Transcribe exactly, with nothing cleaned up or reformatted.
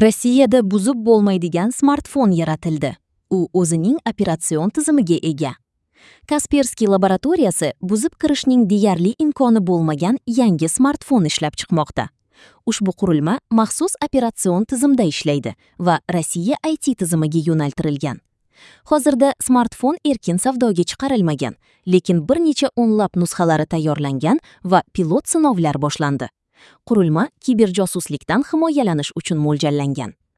Rossiyada buzib bo'lmaydigan smartfon yaratildi. U o'zining operatsion tizimiga ega. Kasperskiy laboratoriyasi buzib kirishning deyarli imkoni bo'lmagan yangi smartfon ishlab chiqmoqda. Ushbu qurilma maxsus operatsion tizimda ishlaydi va Rossiya I T tizimiga yo'naltirilgan. Hozirda smartfon erkin savdoga chiqarilmagan, lekin bir necha o'nlab nusxalari tayyorlangan va pilot sinovlar boshlandi. Qurilma kiberjosuslikdan himoyalanish uchun mo'ljallangan.